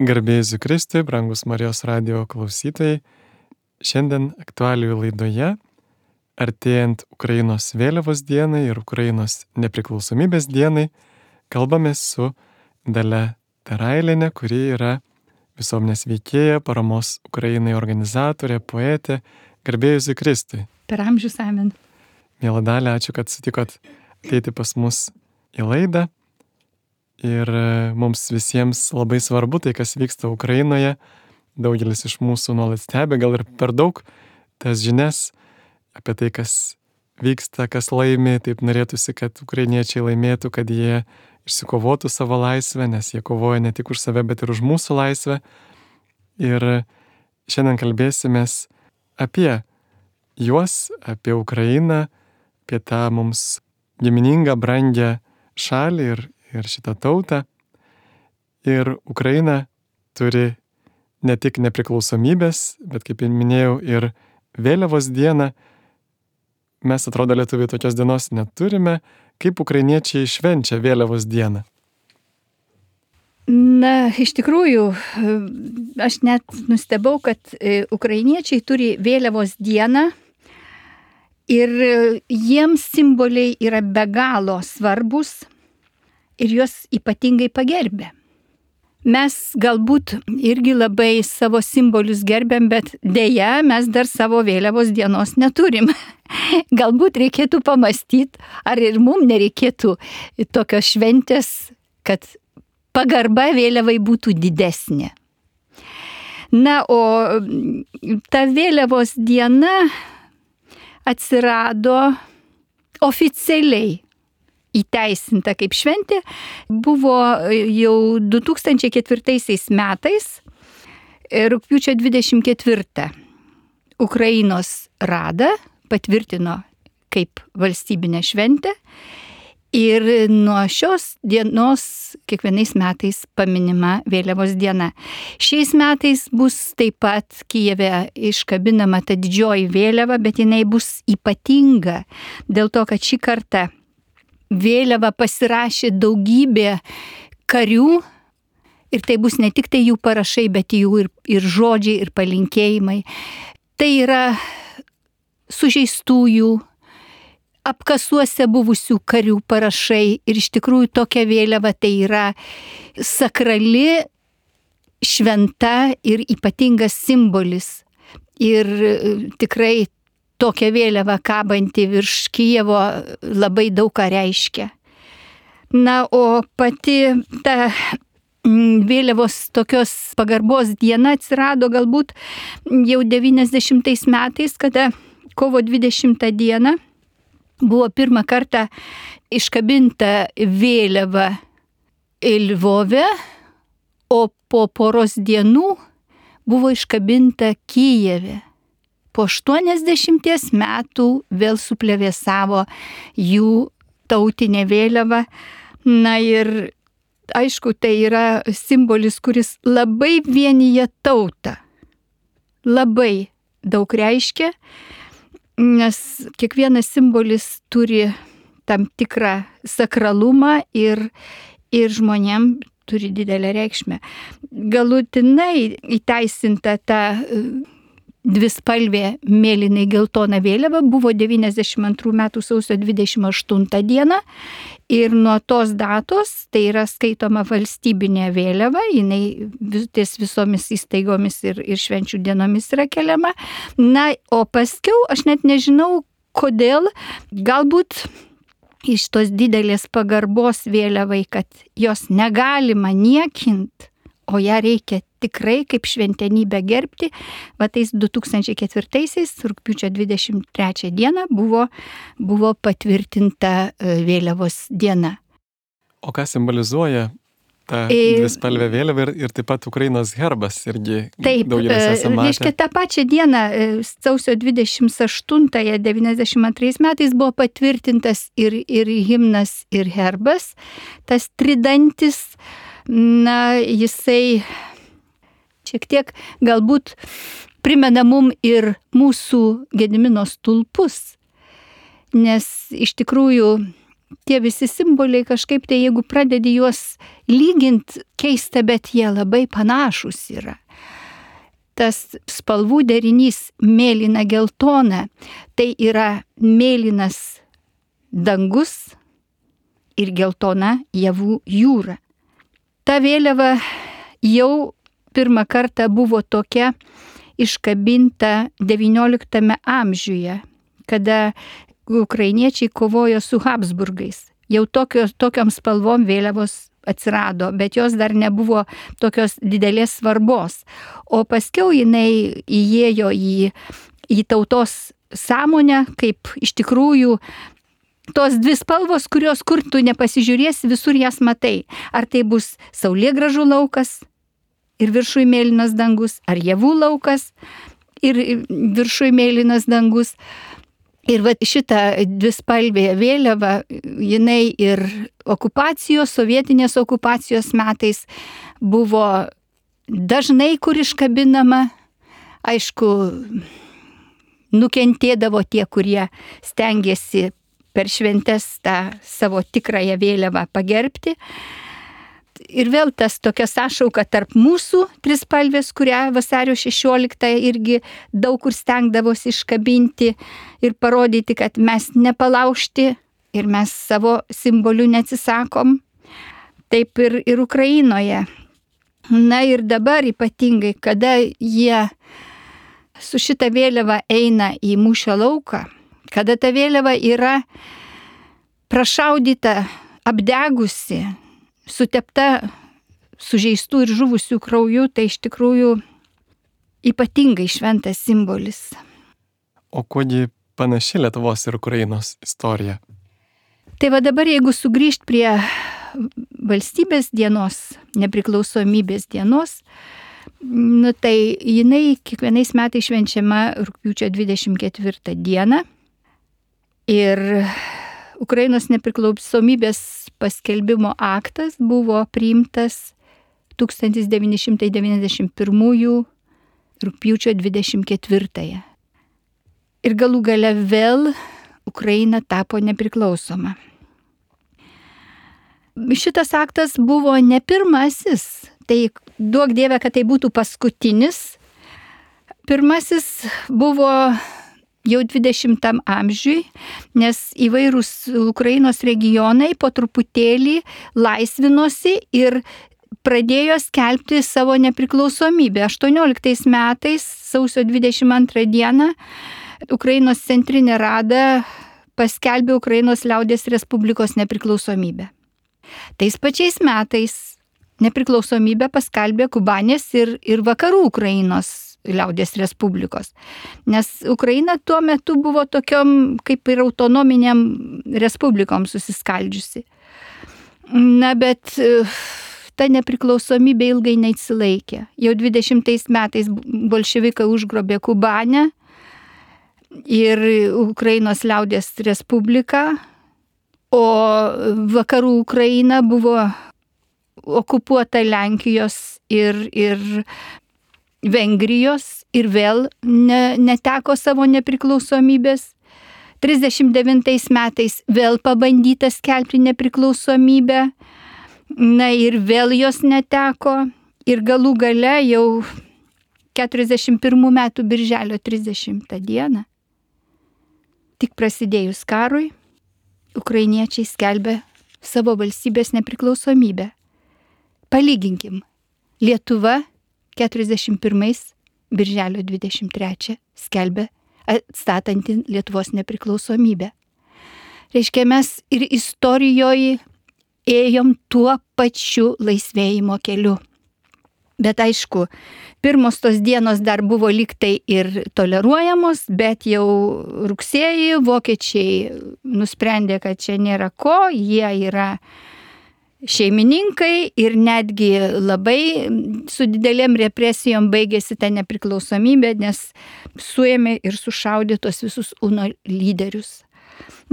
Garbė Jėzui Kristui, brangus Marijos radijo klausytojai, šiandien aktualijų laidoje, artėjant Ukrainos vėliavos dienai ir Ukrainos nepriklausomybės dienai, kalbame su Dalia Tarailienė, kuri yra visuomenės veikėja, paramos Ukrainai organizatorė, poetė. Garbė Jėzui Kristui. Per amžius amen. Miela Dalia, ačiū, kad sutikot ateiti pas mus į laidą. Ir mums visiems labai svarbu tai, kas vyksta Ukrainoje. Daugelis iš mūsų nuolat stebi, gal ir per daug tas žinias apie tai, kas vyksta, kas laimi. Taip norėtųsi, kad ukrainiečiai laimėtų, kad jie išsikovotų savo laisvę, nes jie kovoja ne tik už save, bet ir už mūsų laisvę. Ir šiandien kalbėsimės apie juos, apie Ukrainą, apie tą mums giminingą, brangią šalį ir šitą tautą. Ir Ukraina turi ne tik nepriklausomybės, bet, kaip minėjau, ir vėliavos dieną. Mes, atrodo, lietuviai tokios dienos neturime. Kaip ukrainiečiai švenčia vėliavos dieną? Na, iš tikrųjų, aš net nustebau, kad ukrainiečiai turi vėliavos dieną ir jiems simboliai yra be galo svarbus ir juos ypatingai pagerbė. Mes galbūt irgi labai savo simbolius gerbiam, bet dėja mes dar savo vėliavos dienos neturim. Galbūt reikėtų pamastyti, ar ir mums nereikėtų tokios šventės, kad pagarba vėliavai būtų didesnė. Na, o ta vėliavos diena atsirado oficialiai įteisinta kaip šventė, buvo jau 2004 metais, rugpjūčio 24. Ukrainos Rada patvirtino kaip valstybinę šventę ir nuo šios dienos kiekvienais metais paminima vėliavos diena. Šiais metais bus taip pat Kijeve iškabinama ta didžioji vėliava, bet jinai bus ypatinga dėl to, kad šį kartą vėliavą pasirašė daugybė karių ir tai bus ne tik tai jų parašai, bet jų ir žodžiai, ir palinkėjimai. Tai yra sužeistųjų, apkasuose buvusių karių parašai ir iš tikrųjų tokia vėliava tai yra sakrali, šventa ir ypatingas simbolis. Ir tikrai tokia vėliava kabanti virš Kijevo labai daug ką reiškia. Na, o pati ta vėliavos tokios pagarbos diena atsirado galbūt jau 90 metais, kada kovo 20 dieną buvo pirmą kartą iškabinta vėliava Lvove, o po poros dienų buvo iškabinta Kijeve. Po 80 metų vėl suplevėsavo jų tautinė vėliava. Na ir aišku, tai yra simbolis, kuris labai vienija tautą. Labai daug reiškia, nes kiekvienas simbolis turi tam tikrą sakralumą ir žmonėm turi didelę reikšmę. Galutinai įteisinta ta dvispalvė mėlynai geltona vėliava buvo 92 metų sausio 28 dieną ir nuo tos datos tai yra skaitoma valstybinė vėliava, jinai ties visomis įstaigomis ir švenčių dienomis yra keliama. Na, o paskiau aš net nežinau kodėl, galbūt iš tos didelės pagarbos vėliavai, kad jos negalima niekinti, o ją reikia tikrai kaip šventenybę gerbti. Va tais 2004 rugpjūčio 23 dieną buvo patvirtinta vėliavos diena. O ką simbolizuoja ta dvispalvė vėliava ir taip pat Ukrainos herbas irgi daugelis esame matę? Reiškia, tą pačią dieną, sausio 28-ąją 92 metais buvo patvirtintas ir himnas, ir herbas. Tas tridantis, na, jisai šiek tiek galbūt primena mum ir mūsų Gedimino stulpus, nes iš tikrųjų tie visi simboliai kažkaip tai, jeigu pradedi juos lyginti, keista, bet jie labai panašus yra. Tas spalvų derinys mėlyna geltona, tai yra mėlynas dangus ir geltona javų jūra. Ta vėliava jau pirmą kartą buvo tokia iškabinta XIX amžiuje, kada ukrainiečiai kovojo su Habsburgais. Jau tokiom spalvom vėliavos atsirado, bet jos dar nebuvo tokios didelės svarbos. O paskiau jinai įėjo į tautos sąmonę, kaip iš tikrųjų tos dvi spalvos, kurios kur tu nepasižiūrėsi, visur jas matai. Ar tai bus saulėgrąžų laukas ir viršui mėlynas dangus, ar javų laukas ir viršui mėlynas dangus. Ir va šita dvispalvė vėliava, jinai ir sovietinės okupacijos metais buvo dažnai kur iškabinama. Aišku, nukentėdavo tie, kurie stengiasi per šventes tą savo tikrąją vėliavą pagerbti. Ir vėl tas tokia sąšauka tarp mūsų trispalvės, kurią vasario 16 irgi daug kur stengdavosi iškabinti ir parodyti, kad mes nepalaužti ir mes savo simbolių neatsisakom. Taip ir Ukrainoje. Na ir dabar ypatingai, kada jie su šita vėliava eina į mūšio lauką, kada ta vėliava yra prašaudyta, apdegusi, sutepta sužeistų ir žuvusių krauju, tai iš tikrųjų ypatingai šventas simbolis. O kuogi panaši Lietuvos ir Ukrainos istorija? Tai va dabar, jeigu sugrįžt prie valstybės dienos, nepriklausomybės dienos, tai jinai kiekvienais metais švenčiama rugpjūčio 24 dieną. Ir Ukrainos nepriklausomybės paskelbimo aktas buvo priimtas 1991 rugpjūčio 24. Ir galų gale vėl Ukraina tapo nepriklausoma. Šitas aktas buvo ne pirmasis, tai duok Dieve, kad tai būtų paskutinis. Pirmasis buvo jau 20 amžiui, nes įvairūs Ukrainos regionai po truputėlį laisvinosi ir pradėjo skelbti savo nepriklausomybę. 18 metais, sausio 22 dieną, Ukrainos centrinė rada paskelbė Ukrainos liaudies respublikos nepriklausomybę. Tais pačiais metais nepriklausomybę paskelbė Kubanės ir vakarų Ukrainos liaudies respublikos. Nes Ukraina tuo metu buvo tokiom kaip ir autonominiam respublikom susiskaldžiusi. Na, bet ta nepriklausomybė ilgai neatsilaikė. Jau 20 metais bolševikai užgrobė Kubanę ir Ukrainos liaudies respubliką, o vakarų Ukraina buvo okupuota Lenkijos ir Vengrijos ir vėl neteko savo nepriklausomybės. 39 metais vėl pabandyta skelbti nepriklausomybę, na ir vėl jos neteko. Ir galų gale jau 41 metų birželio 30 dieną, tik prasidėjus karui, ukrainiečiai skelbė savo valstybės nepriklausomybę. Palyginkim, Lietuva 41 birželio 23 skelbė atstatanti Lietuvos nepriklausomybę. Reiškia, mes ir istorijoje ėjom tuo pačiu laisvėjimo keliu. Bet aišku, pirmos tos dienos dar buvo lygtai ir toleruojamos, bet jau rugsėjį vokiečiai nusprendė, kad čia nėra ko, jie yra šeimininkai ir netgi labai su didelėm represijom baigėsi ta nepriklausomybė, nes suėmė ir sušaudė tos visus UNO lyderius.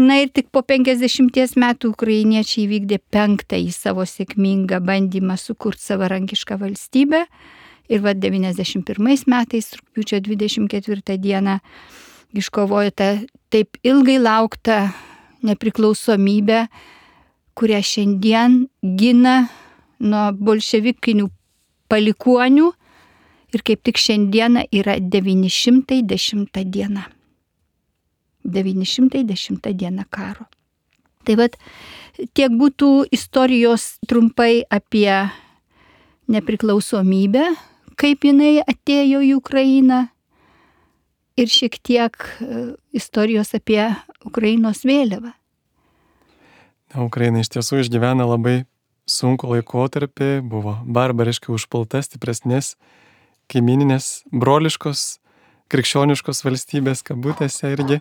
Na ir tik po 50 metų ukrainiečiai vykdė 5. savo sėkmingą bandymą sukurti savarankišką valstybę. Ir 91 metais, rugpjūčio 24 dieną, iškovojo tą taip ilgai lauktą nepriklausomybę, kurią šiandien gina nuo bolševikinių palikuonių ir kaip tik šiandieną yra 910 diena. 910 diena karo. Tai vat tiek būtų istorijos trumpai apie nepriklausomybę, kaip jinai atėjo į Ukrainą ir šiek tiek istorijos apie Ukrainos vėliavą. Ukraina iš tiesų išgyvena labai sunku laikotarpį, buvo barbariškai užpulta stipresnės kaimininės broliškos krikščioniškos valstybės kabutėse irgi.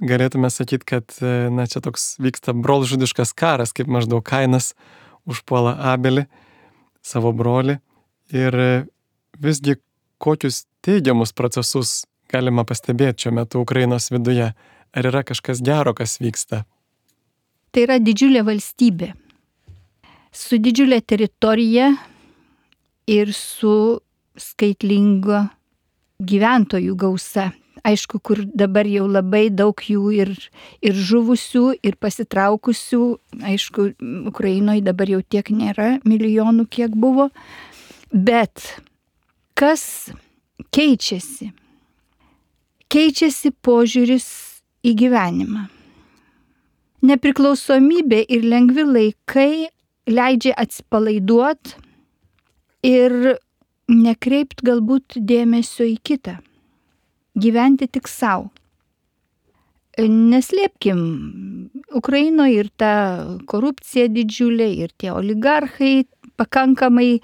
Galėtume sakyti, kad čia toks vyksta brolžudiškas karas, kaip maždaug Kainas užpuola Abelį, savo brolį. Ir visgi kokius teigiamus procesus galima pastebėti šiuo metu Ukrainos viduje? Ar yra kažkas gero, kas vyksta? Tai yra didžiulė valstybė. Su didžiulė teritorija ir su skaitlingo gyventojų gausa. Aišku, kur dabar jau labai daug jų ir žuvusių, ir pasitraukusių. Aišku, Ukrainoje dabar jau tiek nėra milijonų, kiek buvo. Bet kas keičiasi? Keičiasi požiūris į gyvenimą. Nepriklausomybė ir lengvi laikai leidžia atsipalaiduoti ir nekreipt galbūt dėmesio į kitą. Gyventi tik savo. Neslėpkim, Ukrainoje ir ta korupcija didžiulė, ir tie oligarchai pakankamai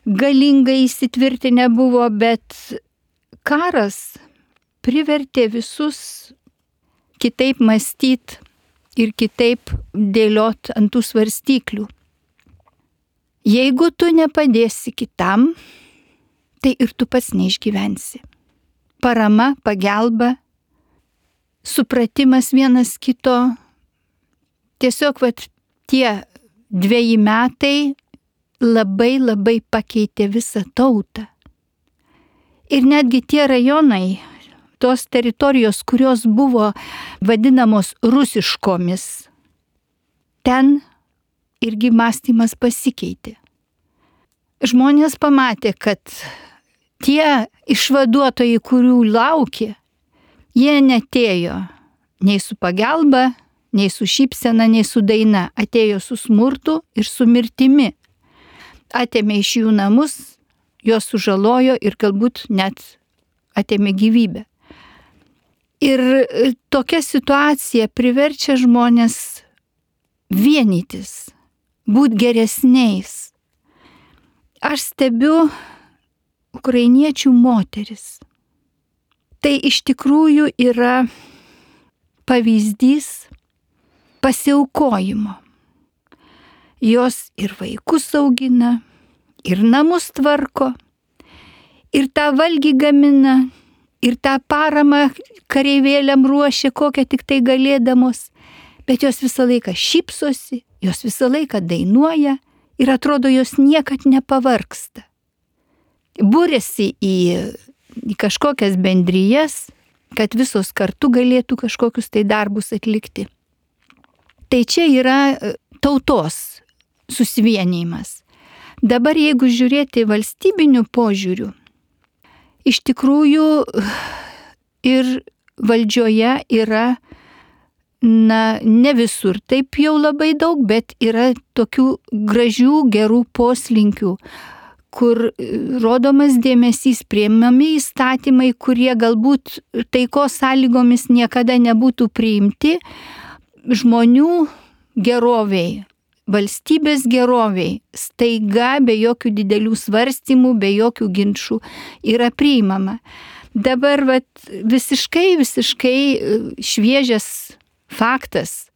galingai įsitvirtinę buvo, bet karas privertė visus kitaip mąstyti ir kitaip dėliot ant tų svarstyklių. Jeigu tu nepadėsi kitam, tai ir tu pats neišgyvensi. Parama, pagalba, supratimas vienas kito. Tiesiog tie 2 metai labai pakeitė visą tautą. Ir netgi tie rajonai, tos teritorijos, kurios buvo vadinamos rusiškomis, ten irgi mąstymas pasikeitė. Žmonės pamatė, kad tie išvaduotojai, kurių laukė, jie netėjo nei su pagalba, nei su šypsena, nei su daina. Atėjo su smurtu ir su mirtimi. Atėmė iš jų namus, juos sužalojo ir galbūt net atėmė gyvybę. Ir tokia situacija priverčia žmonės vienytis, būti geresniais. Aš stebiu ukrainiečių moteris. Tai iš tikrųjų yra pavyzdys pasiaukojimo. Jos ir vaikus augina, ir namus tvarko, ir tą valgį gamina, ir tą paramą kareivėliam ruošia, kokią tik tai galėdamos, bet jos visą laiką šypsosi, jos visą laiką dainuoja ir atrodo jos niekad nepavargsta. Būrėsi į kažkokias bendrijas, kad visos kartu galėtų kažkokius tai darbus atlikti. Tai čia yra tautos susivienijimas. Dabar jeigu žiūrėti valstybinių požiūrių, iš tikrųjų ir valdžioje yra, ne visur taip jau labai daug, bet yra tokių gražių, gerų poslinkių, kur rodomas dėmesys, priimami įstatymai, kurie galbūt taikos sąlygomis niekada nebūtų priimti, žmonių geroviai, valstybės geroviai, staiga be jokių didelių svarstymų, be jokių ginčų yra priimama. Dabar visiškai šviežias faktas.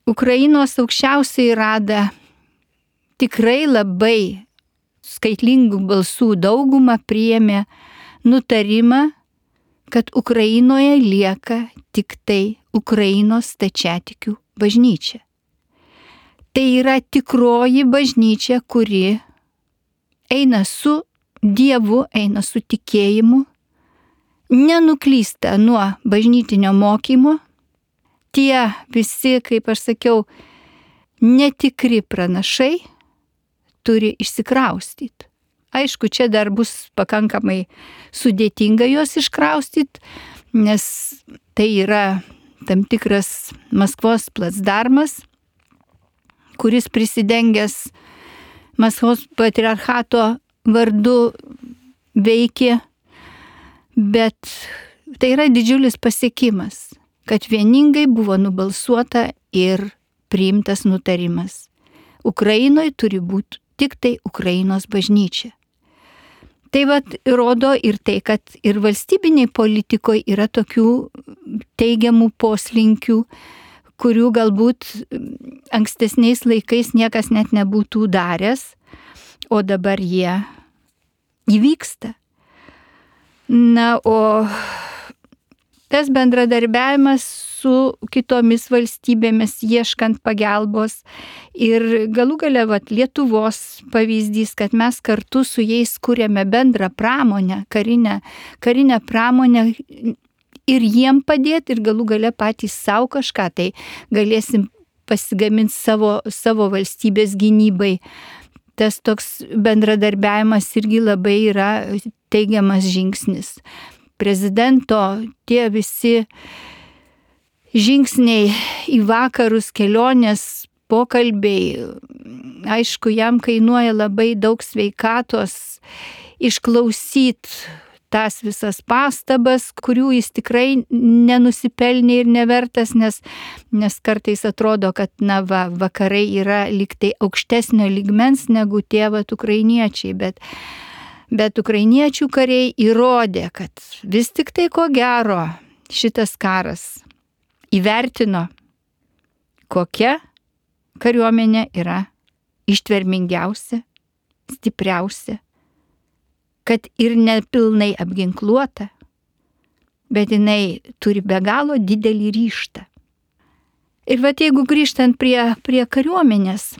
Ukrainos aukščiausioji rada tikrai labai skaitlingų balsų daugumą priėmė nutarimą, kad Ukrainoje lieka tik tai Ukrainos stačiatikių bažnyčia. Tai yra tikroji bažnyčia, kuri eina su Dievu, eina su tikėjimu, nenuklysta nuo bažnytinio mokymo, tie visi, kaip aš sakiau, netikri pranašai turi išsikraustyti. Aišku, čia dar bus pakankamai sudėtinga juos iškraustyti, nes tai yra tam tikras Maskvos placdarmas, kuris prisidengęs Maskvos patriarchato vardu veikė, bet tai yra didžiulis pasiekimas, kad vieningai buvo nubalsuota ir priimtas nutarimas. Ukrainoje turi būti tik tai Ukrainos bažnyčia. Tai rodo ir tai, kad ir valstybiniai politikoje yra tokių teigiamų poslinkių, kurių galbūt ankstesniais laikais niekas net nebūtų daręs, o dabar jie įvyksta. Na, o tas bendradarbiavimas su kitomis valstybėmis, ieškant pagalbos ir galų gale Lietuvos pavyzdys, kad mes kartu su jais kūrėme bendrą pramonę, karinę pramonę ir jiem padėti ir galų gale patys savo kažką, tai galėsim pasigaminti savo valstybės gynybai. Tas toks bendradarbiavimas irgi labai yra teigiamas žingsnis. Prezidento tie visi žingsniai į vakarus, kelionės, pokalbiai, aišku, jam kainuoja labai daug sveikatos išklausyti tas visas pastabas, kurių jis tikrai nenusipelnė ir nevertas, nes kartais atrodo, kad vakarai yra lyg tai aukštesnio lygmens negu tie ukrainiečiai, bet ukrainiečių kariai įrodė, kad vis tik tai ko gero šitas karas įvertino, kokia kariuomenė yra ištvermingiausia, stipriausia, kad ir nepilnai apginkluota, bet jinai turi be galo didelį ryžtą. Ir jeigu grįžtant prie kariuomenės,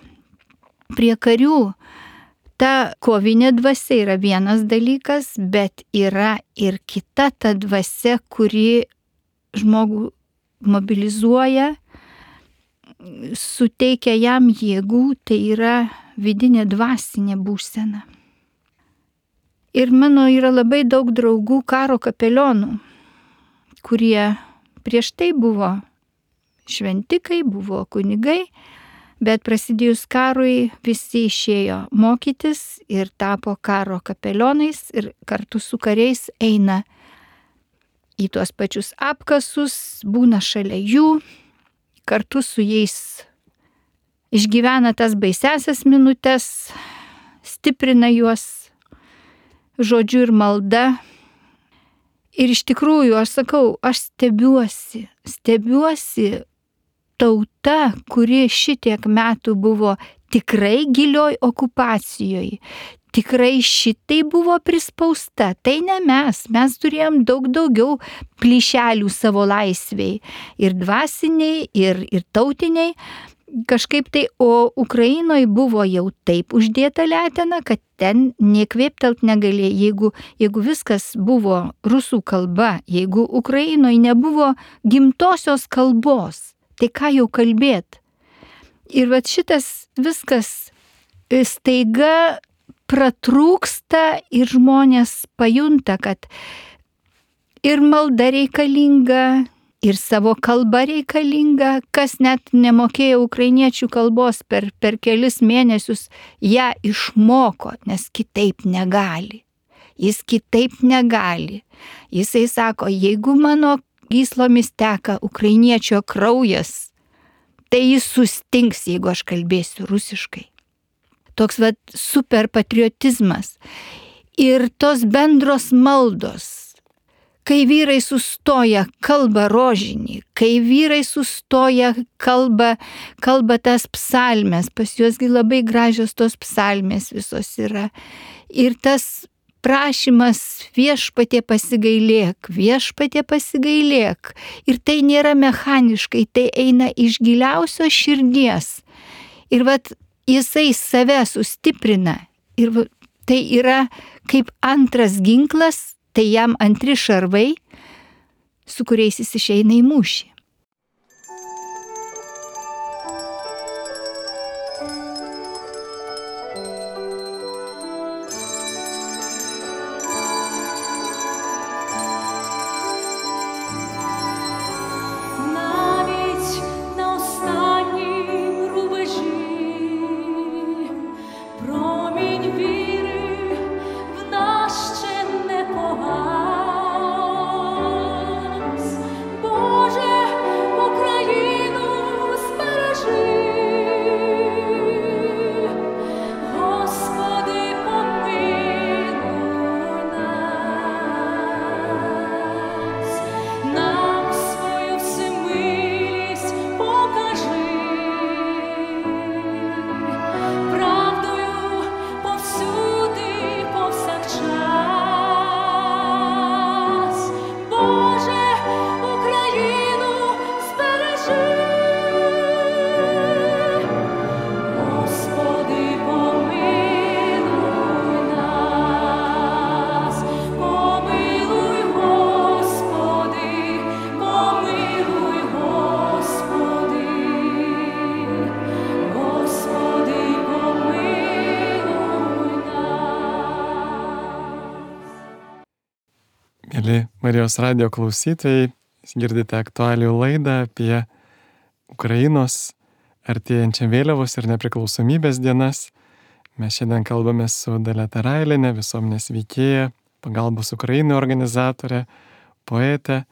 prie karių, ta kovinė dvasia yra vienas dalykas, bet yra ir kita ta dvasia, kuri žmogų mobilizuoja, suteikia jam jėgų, tai yra vidinė dvasinė būsena. Ir mano yra labai daug draugų karo kapelionų, kurie prieš tai buvo šventikai, buvo kunigai, bet prasidėjus karui visi išėjo mokytis ir tapo karo kapelionais ir kartu su kariais eina į tuos pačius apkasus, būna šalia jų, kartu su jais išgyvena tas baisiasias minutes, stiprina juos žodžiu ir malda. Ir iš tikrųjų, aš sakau, aš stebiuosi tauta, kuri šitiek metų buvo tikrai gilioj okupacijoje, tikrai šitai buvo prispausta. Tai ne mes turėjom daug daugiau plyšelių savo laisviai, ir dvasiniai, ir tautiniai. Kažkaip tai, o Ukrainoje buvo jau taip uždėta letena, kad ten nekvėptelt negalėjo. Jeigu viskas buvo rusų kalba, jeigu Ukrainoje nebuvo gimtosios kalbos, tai ką jau kalbėt? Ir šitas viskas staiga pratrūksta ir žmonės pajunta, kad ir malda reikalinga, ir savo kalba reikalinga, kas net nemokėjo ukrainiečių kalbos per kelis mėnesius, ją išmoko, nes kitaip negali. Jis kitaip negali. Jisai sako, jeigu mano gyslomis teka ukrainiečio kraujas, tai jis sustings, jeigu aš kalbėsiu rusiškai. Toks super patriotizmas. Ir tos bendros maldos. Kai vyrai sustoja, kalba rožinį, kai vyrai sustoja, kalba tas psalmes, pas juosgi labai gražios tos psalmės visos yra. Ir tas prašymas viešpatie pasigailėk. Ir tai nėra mechaniškai, tai eina iš giliausios širdies. Ir jisai save sustiprina. Ir tai yra kaip antras ginklas, tai jam antri šarvai, su kuriais jis išeina į mūšį. Mėly Marijos radijo klausytojai, girdite aktualijų laidą apie Ukrainos artėjančią vėliavos ir nepriklausomybės dienas. Mes šiandien kalbame su Dalia Tarailiene, visuomenės veikėja, pagalbos Ukrainai organizatorė, poetė.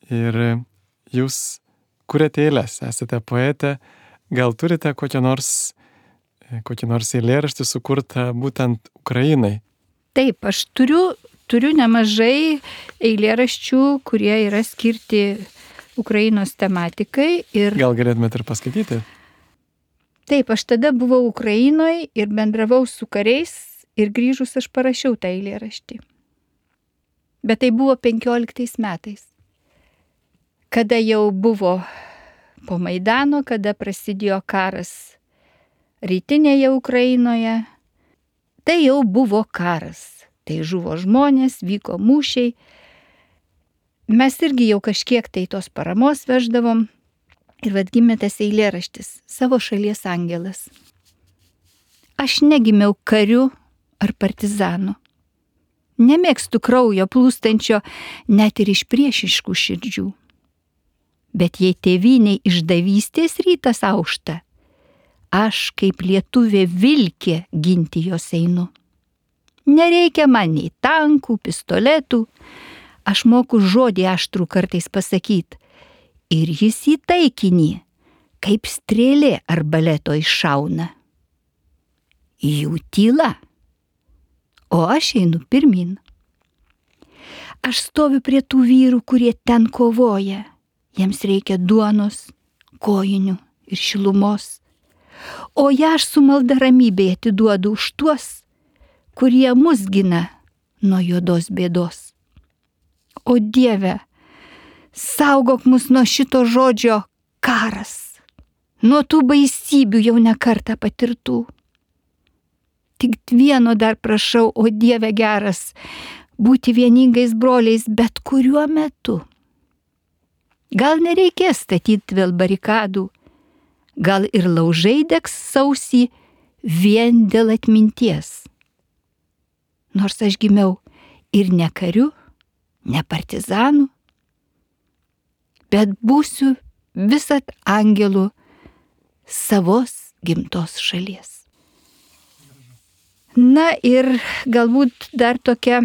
Ir jūs kuriate eiles, esate poetė. Gal turite kokį nors eilėraštį sukurtą būtent Ukrainai? Taip, aš turiu nemažai eilėraščių, kurie yra skirti Ukrainos tematikai. Gal galėtumėte ir paskaityti? Taip, aš tada buvau Ukrainoje ir bendravau su kariais ir grįžus aš parašiau tą eilėraštį. Bet tai buvo 15 metais, kada jau buvo po Maidano, kada prasidėjo karas rytinėje Ukrainoje. Tai jau buvo karas. Tai žuvo žmonės, vyko mūšiai. Mes irgi jau kažkiek tai tos paramos veždavom. Ir vad gimė tas eilėraštis Savo šalies angelas. Aš negimiau kariu ar partizanu. Nemėgstu kraujo plūstančio net ir iš priešiškų širdžių. Bet jei tėvyniai išdavystės rytas aušta, aš kaip lietuvė vilkė ginti jos einu. Nereikia man nei tankų, pistoletų, aš moku žodį aštrų kartais pasakyti. Ir jis į taikinį, kaip strėlė arbaleto iššauna. Jų tyla, o aš einu pirmin. Aš stoviu prie tų vyrų, kurie ten kovoja. Jiems reikia duonos, kojinių ir šilumos. O ją aš su malda ramybėje atiduodu už tuos, kurie mus gina nuo juodos bėdos. O Dieve, saugok mus nuo šito žodžio karas, nuo tų baisybių jau ne kartą patirtų. Tik vieno dar prašau, o Dieve geras, būti vieningais broliais bet kuriuo metu. Gal nereikės statyti vėl barikadų, gal ir laužai degs sausį vien dėl atminties. Nors aš gimiau ir ne kariu, ne partizanu, bet būsiu visat angelų savos gimtos šalies. Na ir galbūt dar tokia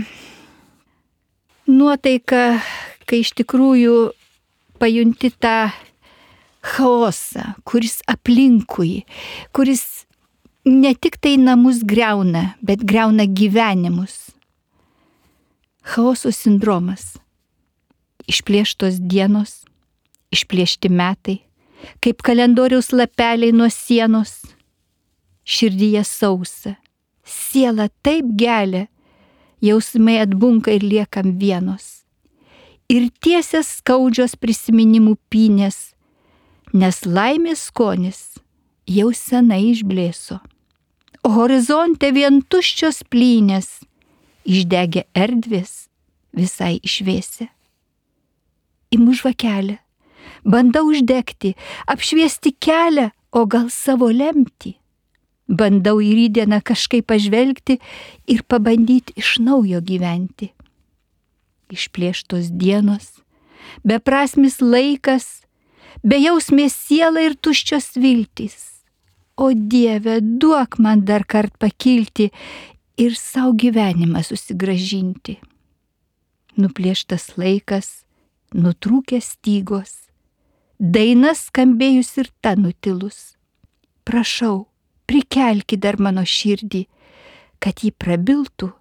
nuotaika, kai iš tikrųjų pajunti tą chaosą, kuris aplinkui, kuris ne tik tai namus griauna, bet griauna gyvenimus. Chaoso sindromas. Išplėštos dienos, išplėšti metai, kaip kalendoriaus lapeliai nuo sienos. Širdyje sausa, siela taip gelia, jausmai atbunka ir liekam vienos. Ir tiesias skaudžios prisiminimų pynės, nes laimės skonis jau senai išblėso. O horizonte vien tuščios plynės, išdegė erdvės visai išvėsė. Imu žvakelę, bandau uždegti, apšviesti kelią, o gal savo lemtį. Bandau į rytdieną kažkaip pažvelgti ir pabandyti iš naujo gyventi. Išplėštos dienos, beprasmis laikas, bejausmės siela ir tuščios viltys. O Dieve, duok man dar kart pakilti ir savo gyvenimą susigrąžinti. Nuplėštas laikas, nutrūkęs stygos, dainas skambėjus ir ta nutilus. Prašau, prikelki dar mano širdį, kad ji prabiltų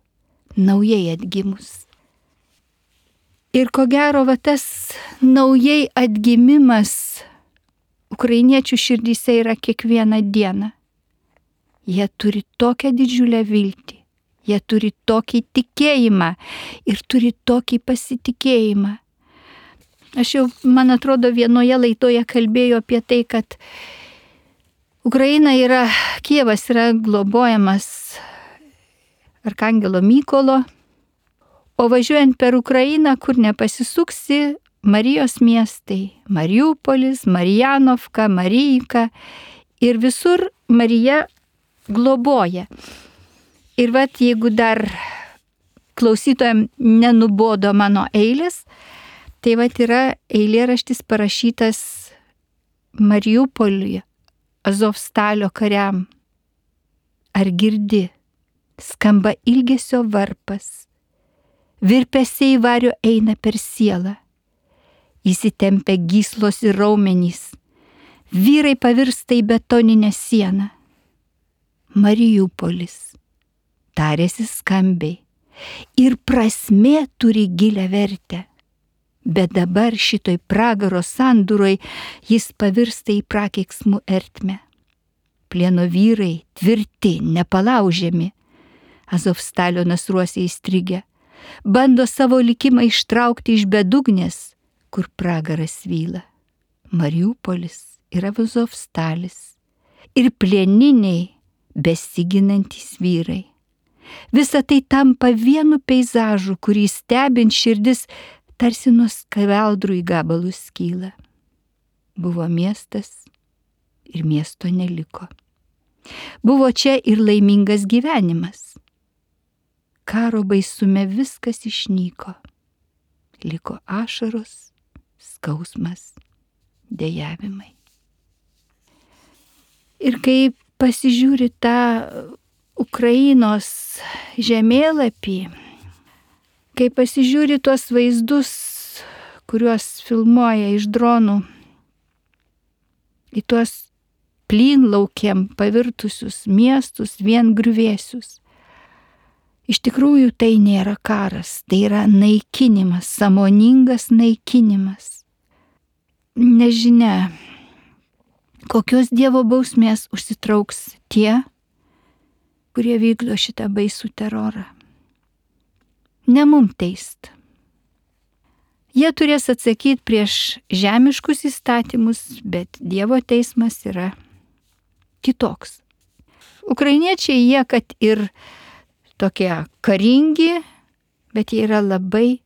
naujai atgimus. Ir ko gero, va tas naujai atgimimas ukrainiečių širdyse yra kiekvieną dieną. Jie turi tokią didžiulę viltį, jie turi tokį tikėjimą ir turi tokį pasitikėjimą. Aš jau, man atrodo, vienoje laidoje kalbėjau apie tai, kad Kijevas yra globojamas Arkangelo Mykolo, o važiuojant per Ukrainą, kur nepasisuksi, Marijos miestai, Mariupolis, Marijanovka, Marijka ir visur Marija globoja. Ir vat jeigu dar klausytojams nenubodo mano eilės, tai vat yra eilėraštis parašytas Mariupoliuje, Azovstalio kariam. Ar girdi, skamba ilgesio varpas, virpesiai vario eina per sielą, įsitempia gyslos ir raumenys, vyrai pavirsta į betoninę sieną. Mariupolis, tarėsi skambiai, ir prasmė turi gilę vertę, bet dabar šitoj pragaro sandūroj jis pavirsta į prakeiksmų ertmę. Plieno vyrai, tvirti, nepalaužiami, Azovstalio nasruose įstrigę, bando savo likimą ištraukti iš bedugnės, kur pragaras vyla. Mariupolis yra Azovstalis ir plieniniai besiginantys vyrai. Visa tai tampa vienu peizažu, kurį stebint širdis tarsi nuo skeveldrų į gabalus skyla. Buvo miestas ir miesto neliko. Buvo čia ir laimingas gyvenimas. Karo baisume viskas išnyko. Liko ašaros, skausmas, dejavimai. Ir kai pasižiūri tą Ukrainos žemėlapį, kai pasižiūri tuos vaizdus, kuriuos filmuoja iš dronų, į tuos plynlaukiam pavirtusius miestus, vien griuvėsius. Iš tikrųjų tai nėra karas, tai yra naikinimas, sąmoningas naikinimas. Nežinia, kokios Dievo bausmės užsitrauks tie, kurie vykdo šitą baisų terorą. Ne mum teist. Jie turės atsakyti prieš žemiškus įstatymus, bet Dievo teismas yra kitoks. Ukrainiečiai jie, kad ir tokie karingi, bet jie yra labai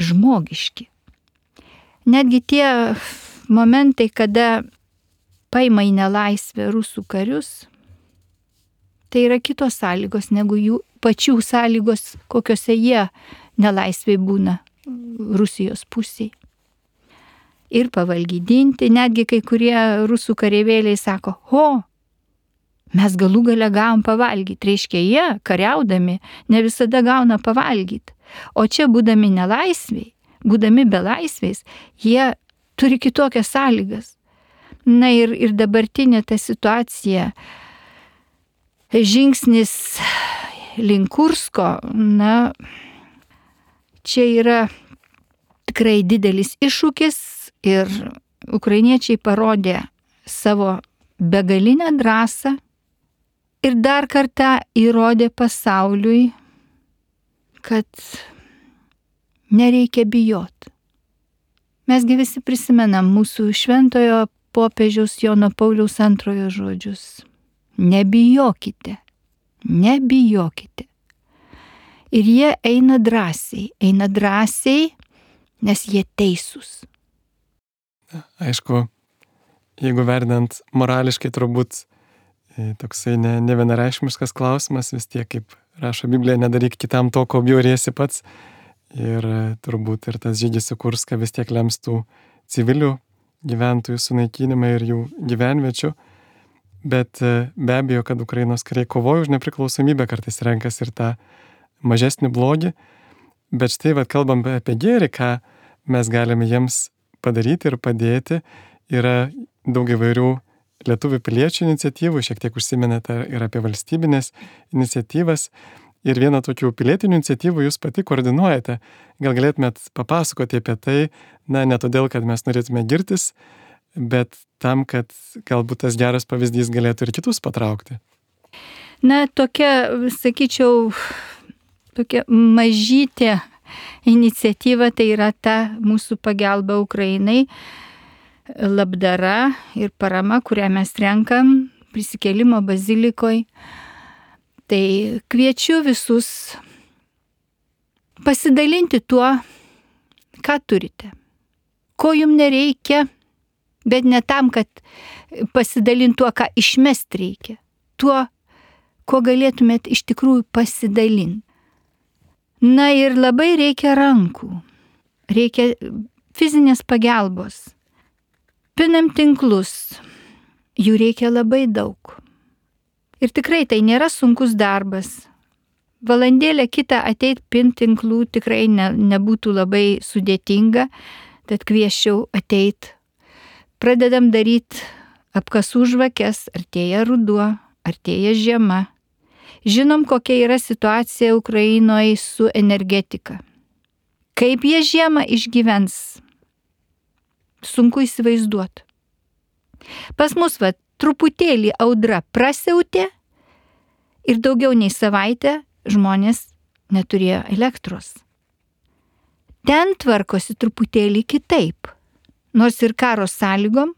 žmogiški. Netgi tie momentai, kada paima į nelaisvę rusų karius, tai yra kitos sąlygos negu jų pačių sąlygos, kokiose jie nelaisvėj būna Rusijos pusėje. Ir pavalgydinti, netgi kai kurie rusų kareivėliai sako, mes galų gale gavom pavalgyti. Reiškia, jie kariaudami ne visada gauna pavalgyti. O čia būdami nelaisviai, būdami belaisviais, jie turi kitokias sąlygas. Na ir dabartinė ta situacija, žingsnis link Kursko, čia yra tikrai didelis iššūkis ir ukrainiečiai parodė savo begalinę drąsą ir dar kartą įrodė pasauliui, kad nereikia bijoti. Mesgi visi prisimenam mūsų šventojo popiežiaus Jono Pauliaus II žodžius. Nebijokite, nebijokite. Ir jie eina drąsiai, nes jie teisūs. Aišku, jeigu vertinant morališkai, turbūt toksai nevienareikšmiškas klausimas, vis tiek, kaip rašo Biblija, nedaryk kitam to, ko bjauriesi pats. Ir turbūt ir tas žygis į Kurską vis tiek lems tų civilių gyventojų sunaikinimą ir jų gyvenviečių. Bet be abejo, kad Ukrainos kariai kovoja už nepriklausomybę, kartais renkasi ir tą mažesnį blogį. Bet štai, kalbam apie gėrį, ką mes galime jiems padaryti ir padėti. Yra daug įvairių lietuvių piliečių iniciatyvų, šiek tiek užsiminėte ir apie valstybinės iniciatyvas. Ir vieną tokių pilietinių iniciatyvų jūs pati koordinuojate. Gal galėtumėt papasakoti apie tai, ne todėl, kad mes norėtume girtis, bet tam, kad galbūt tas geras pavyzdys galėtų ir kitus patraukti. Tokia, sakyčiau, tokia mažytė iniciatyva, tai yra ta mūsų pagalba Ukrainai, labdara ir parama, kurią mes renkam prisikėlimo bazilikoje. Tai kviečiu visus pasidalinti tuo, ką turite. Ko jums nereikia, bet ne tam, kad pasidalinti tuo, ką išmest reikia. Tuo, ko galėtumėt iš tikrųjų pasidalinti. Na ir labai reikia rankų, reikia fizinės pagalbos. Pinam tinklus, jų reikia labai daug. Ir tikrai tai nėra sunkus darbas. Valandėlę kitą ateit pint tinklų tikrai nebūtų labai sudėtinga, tad kvieščiau ateit. Pradedam daryti apkasų žvakes, artėja ruduo, artėja žiema. Žinom, kokia yra situacija Ukrainoje su energetika. Kaip jie žiemą išgyvens, sunku įsivaizduoti. Pas mus truputėlį audra prasiautė ir daugiau nei savaitę žmonės neturėjo elektros. Ten tvarkosi truputėlį kitaip, nors ir karo sąlygom,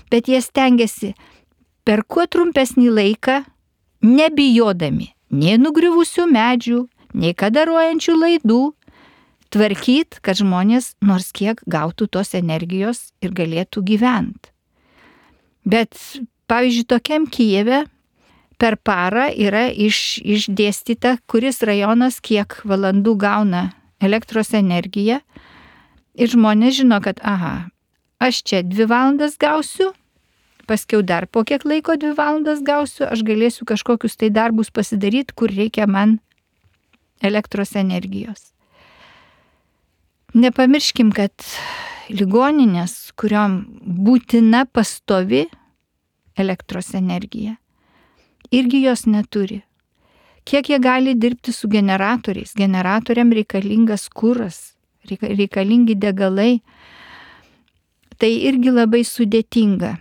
bet jie stengiasi per kuo trumpesnį laiką, nebijodami nei nugriuvusių medžių, nei kadaruojančių laidų, tvarkyt, kad žmonės nors kiek gautų tos energijos ir galėtų gyventi. Bet, pavyzdžiui, tokiam Kijeve per parą yra išdėstyta, kuris rajonas kiek valandų gauna elektros energiją ir žmonės žino, kad aš čia 2 valandas gausiu, paskiau dar po kiek laiko 2 valandas gausiu, aš galėsiu kažkokius tai darbus pasidaryti, kur reikia man elektros energijos. Nepamirškim, kad ligoninės, kuriom būtina pastovi elektros energija, irgi jos neturi. Kiek jie gali dirbti su generatoriais? Generatoriam reikalingas kuras, reikalingi degalai. Tai irgi labai sudėtinga.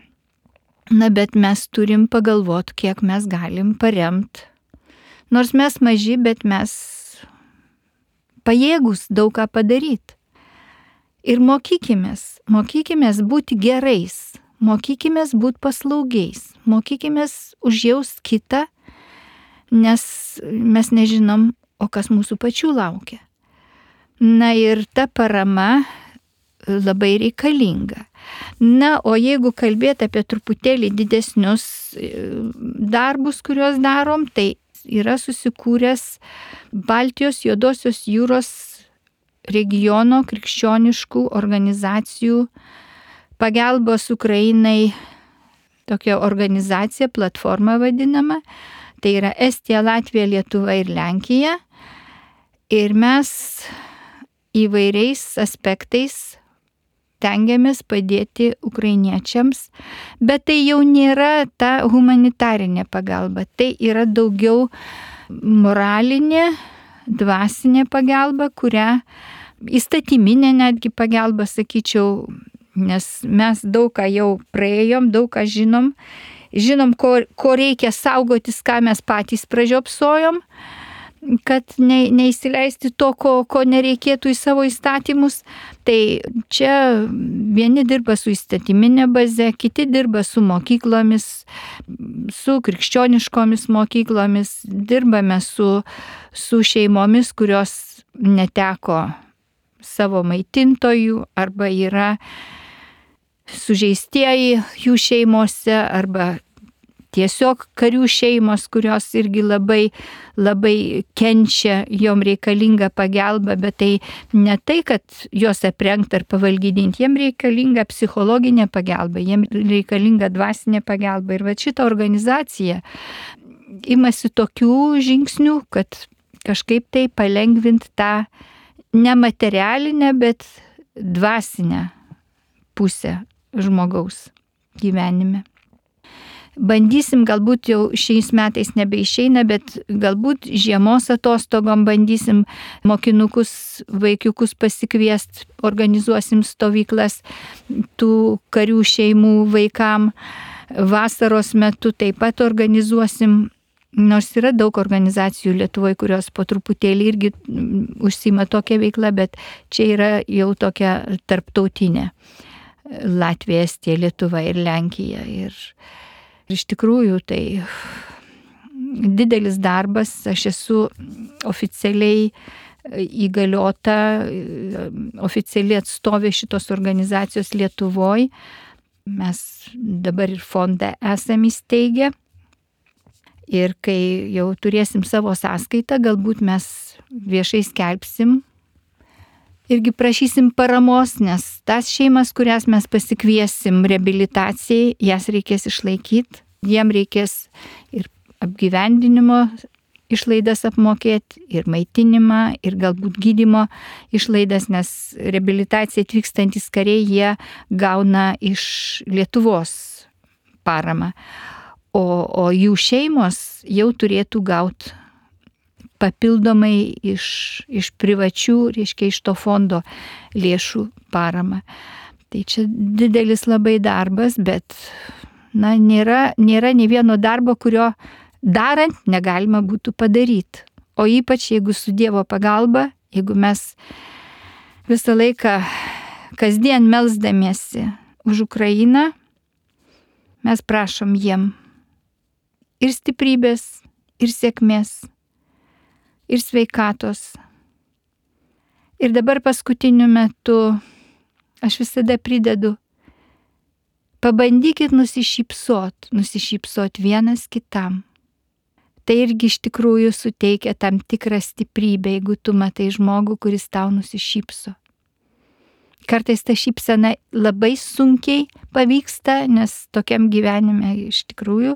Na, bet mes turim pagalvoti, kiek mes galim paremti. Nors mes maži, bet mes pajėgus daug ką padaryti. Ir mokykimės būti gerais, mokykimės būti paslaugiais, mokykimės užjaust kitą, nes mes nežinom, o kas mūsų pačių laukia. Na ir ta parama labai reikalinga. Na, o jeigu kalbėti apie truputėlį didesnius darbus, kuriuos darom, tai yra susikūręs Baltijos Juodosios jūros regiono krikščioniškų organizacijų pagalbos Ukrainai tokia organizacija, platforma vadinama. Tai yra Estija, Latvija, Lietuva ir Lenkija. Ir mes įvairiais aspektais tengiamės padėti ukrainiečiams, bet tai jau nėra ta humanitarinė pagalba, tai yra daugiau moralinė, dvasinė pagalba, kurią įstatyminė netgi pagalba, sakyčiau, nes mes daug ką jau praėjom, daug ką žinom, ko reikia saugotis, ką mes patys pražiopsojom, kad neįsileisti to, ko nereikėtų į savo įstatymus. Tai čia vieni dirba su įstatyminė baze, kiti dirba su mokyklomis, su krikščioniškomis mokyklomis, dirbame su šeimomis, kurios neteko savo maitintojų arba yra sužeistieji jų šeimose arba tiesiog karių šeimos, kurios irgi labai, labai kenčia, jom reikalinga pagalba, bet tai ne tai, kad juos aprengti ar pavalgydinti, jiem reikalinga psichologinė pagalba, jiem reikalinga dvasinė pagalba. Ir va šita organizacija imasi tokių žingsnių, kad kažkaip tai palengvinti tą nematerialinę, bet dvasinę pusę žmogaus gyvenime. Bandysim, galbūt jau šiais metais nebeišeina, bet galbūt žiemos atostogom bandysim mokinukus, vaikiukus pasikviesti, organizuosim stovyklas tų karių šeimų vaikam. Vasaros metu taip pat organizuosim, nors yra daug organizacijų Lietuvoje, kurios po truputėlį irgi užsima tokią veiklą, bet čia yra jau tokia tarptautinė. Latvija, Estija, Lietuva ir Lenkija. Ir iš tikrųjų tai didelis darbas, aš esu oficialiai įgaliota, oficialiai atstovė šitos organizacijos Lietuvoje. Mes dabar ir fondą esame įsteigę. Ir kai jau turėsim savo sąskaitą, galbūt mes viešai skelbsim, irgi prašysim paramos, nes tas šeimas, kurias mes pasikviesim reabilitacijai, jas reikės išlaikyti, jiem reikės ir apgyvendinimo išlaidas apmokėti, ir maitinimą, ir galbūt gydymo išlaidas, nes reabilitacija atvykstantis kariai, jie gauna iš Lietuvos paramą. O jų šeimos jau turėtų gauti papildomai iš privačių, reiškia iš to fondo lėšų paramą. Tai čia didelis labai darbas, bet nėra nei vieno darbo, kurio darant negalima būtų padaryti. O ypač jeigu su Dievo pagalba, jeigu mes visą laiką kasdien melsdamiesi už Ukrainą, mes prašom jiem ir stiprybės, ir sėkmės, ir sveikatos. Ir dabar paskutiniu metu aš visada pridedu, pabandykit nusišypsot vienas kitam. Tai irgi iš tikrųjų suteikia tam tikrą stiprybę, jeigu tu matai žmogų, kuris tau nusišypso. Kartais ta šypsena labai sunkiai pavyksta, nes tokiam gyvenime iš tikrųjų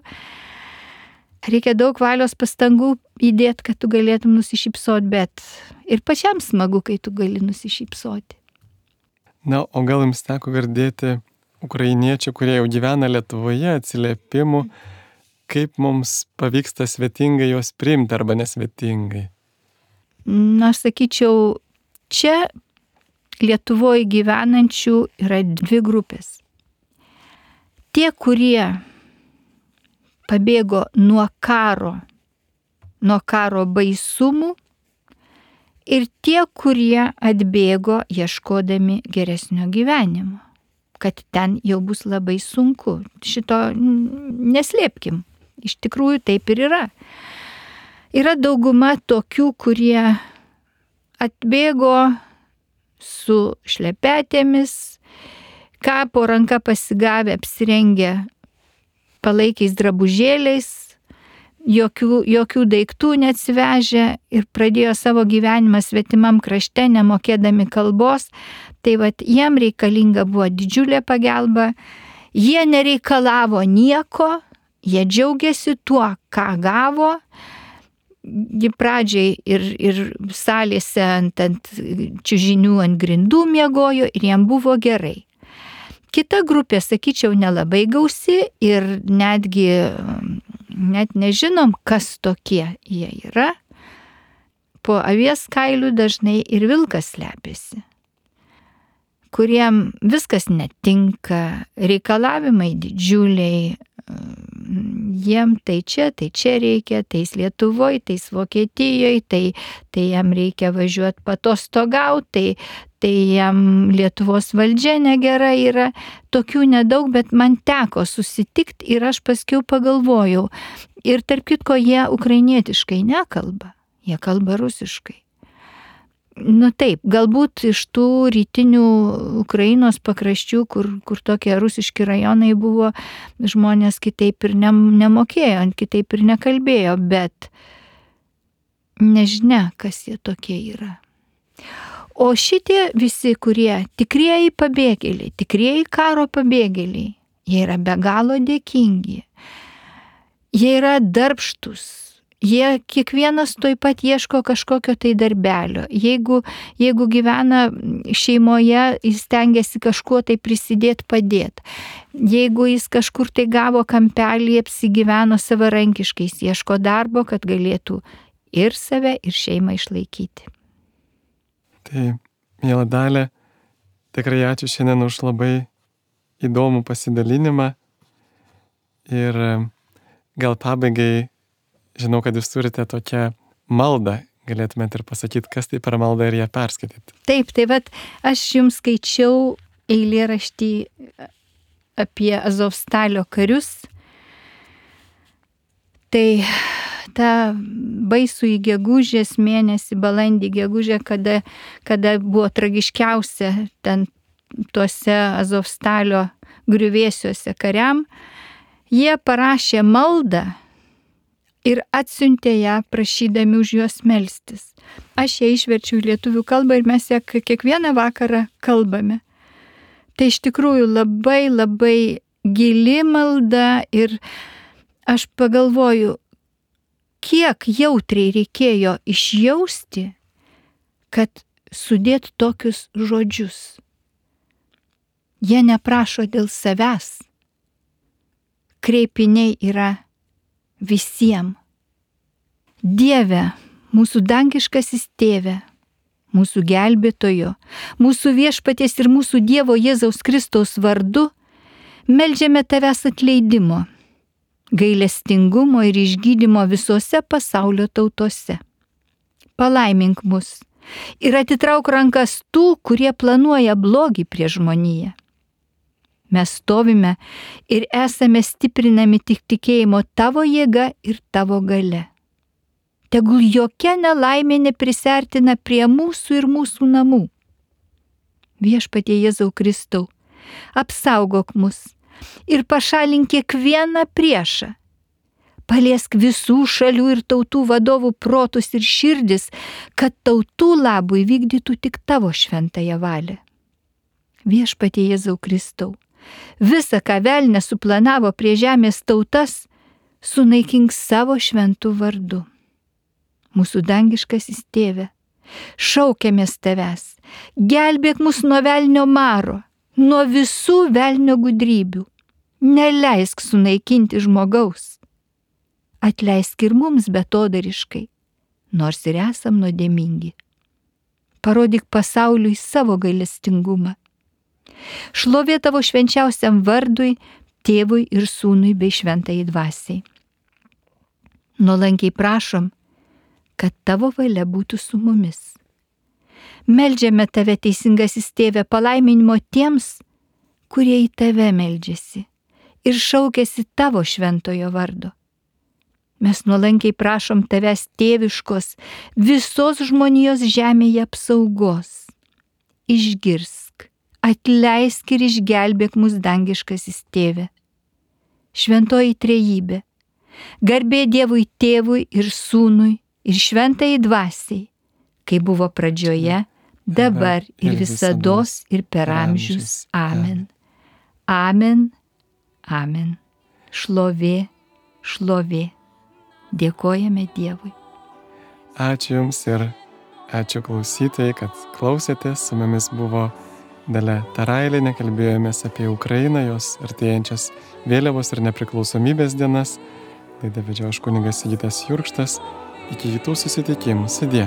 reikia daug valios pastangų įdėti, kad tu galėtum nusišypsoti, bet ir pačiam smagu, kai tu gali nusišypsoti. Na, o gal jums teko girdėti ukrainiečių, kurie jau gyvena Lietuvoje, atsiliepimų, kaip mums pavyksta svetingai juos priimti arba nesvetingai? Na, aš sakyčiau, čia Lietuvoje gyvenančių yra dvi grupės. Tie, kurie pabėgo nuo karo baisumų, ir tie, kurie atbėgo ieškodami geresnio gyvenimo, kad ten jau bus labai sunku. Šito neslėpkim, iš tikrųjų taip ir yra. Yra dauguma tokių, kurie atbėgo su šlepetėmis, ką po ranka pasigavę, apsirengę palaikiais drabužėliais, jokių daiktų neatsivežę ir pradėjo savo gyvenimą svetimam krašte, nemokėdami kalbos. Tai jiem reikalinga buvo didžiulė pagalba, jie nereikalavo nieko, jie džiaugiasi tuo, ką gavo. Jie pradžiai ir salėse ant čiužinių ant grindų miegojo ir jiem buvo gerai. Kita grupė, sakyčiau, nelabai gausi ir net nežinom, kas tokie jie yra. Po avies kailių dažnai ir vilkas slepiasi, kuriem viskas netinka, reikalavimai didžiuliai, jiem tai čia reikia, tais Lietuvoje, tais Vokietijoje, tai jam reikia važiuoti patostogauti, tai jam Lietuvos valdžia negera yra. Tokių nedaug, bet man teko susitikti ir aš paskiau pagalvojau. Ir tarp kitko, jie ukrainietiškai nekalba, jie kalba rusiškai. Nu taip, galbūt iš tų rytinių Ukrainos pakraščių, kur tokie rusiški rajonai buvo, žmonės kitaip ir nemokėjo, kitaip ir nekalbėjo, bet nežinia, kas jie tokie yra. O šitie visi, kurie tikrieji pabėgėliai, tikrieji karo pabėgėliai, jie yra be galo dėkingi, jie yra darbštus. Jie kiekvienas toj pat ieško kažkokio tai darbelio. Jeigu gyvena šeimoje, jis stengiasi kažkuo tai prisidėti, padėti. Jeigu jis kažkur tai gavo kampelį, apsigyveno savarankiškai, jis ieško darbo, kad galėtų ir save, ir šeimą išlaikyti. Tai, miela Dalia, tikrai ačiū šiandien už labai įdomų pasidalinimą. Ir gal pabaigai, žinau, kad jūs turite tokią maldą, galėtumėte ir pasakyti, kas tai per maldą ir ją perskaityti. Taip, aš jums skaičiau eilėraštį apie Azovstalio karius. Tai tą baisų į gegužės mėnesį, balandį gegužę, kada buvo tragiškiausia ten tuose Azovstalio griuvėsiuose kariam, jie parašė maldą ir atsiuntė ją prašydami už juos melstis. Aš ją išverčiau į lietuvių kalbą ir mes ją kiekvieną vakarą kalbame. Tai iš tikrųjų labai labai gili malda ir aš pagalvoju, kiek jautriai reikėjo išjausti, kad sudėt tokius žodžius. Jie neprašo dėl savęs. Kreipiniai yra visiems. Dieve, mūsų dangiškasis tėve, mūsų gelbėtojo, mūsų viešpaties ir mūsų Dievo Jėzaus Kristaus vardu, meldžiame tavęs atleidimo, gailestingumo ir išgydymo visose pasaulio tautose. Palaimink mus ir atitrauk rankas tų, kurie planuoja blogį prieš žmoniją. Mes stovime ir esame stiprinami tik tikėjimo tavo jėga ir tavo galia. Tegul jokia nelaimė neprisertina prie mūsų ir mūsų namų. Viešpatie Jėzau Kristau, apsaugok mus ir pašalink kiekvieną priešą. Paliesk visų šalių ir tautų vadovų protus ir širdis, kad tautų labui vykdytų tik tavo šventąją valią. Viešpatie Jėzau Kristau, visa, ką velnias suplanavo prie žemės tautas, sunaikink savo šventų vardu. Mūsų dangiškasis tėve, šaukiamės tavęs, gelbėk mus nuo velnio maro, nuo visų velnio gudrybių, neleisk sunaikinti žmogaus. Atleisk ir mums betodariškai, nors ir esam nuodėmingi. Parodyk pasauliui savo gailestingumą. Šlovė tavo švenčiausiam vardui, tėvui ir sūnui bei šventajai dvasiai. Nuolankiai prašom, kad tavo valia būtų su mumis. Meldžiame tave, teisingasis tėve, palaiminimo tiems, kurie į tave meldžiasi ir šaukiasi tavo šventojo vardo. Mes nuolankiai prašom tavęs tėviškos visos žmonijos žemėje apsaugos. Išgirsk, atleisk ir išgelbėk mus dangiškasis tėve. Šventoji trejybė, garbė Dievui tėvui ir sūnui ir šventajai dvasiai, kai buvo pradžioje, dabar ir visados ir per amžius. Amen. Amen. Amen. Šlovė, šlovė. Dėkojame Dievui. Ačiū Jums ir ačiū klausytojai, kad klausėtės. Su mumis buvo Dalia Tarailienė, kalbėjomės apie Ukrainą, jos artėjančias vėliavos ir nepriklausomybės dienas. Laidą vedžiau aš kunigas Sigitas Jurkštas. Iki kitų susitikimų. Sudie.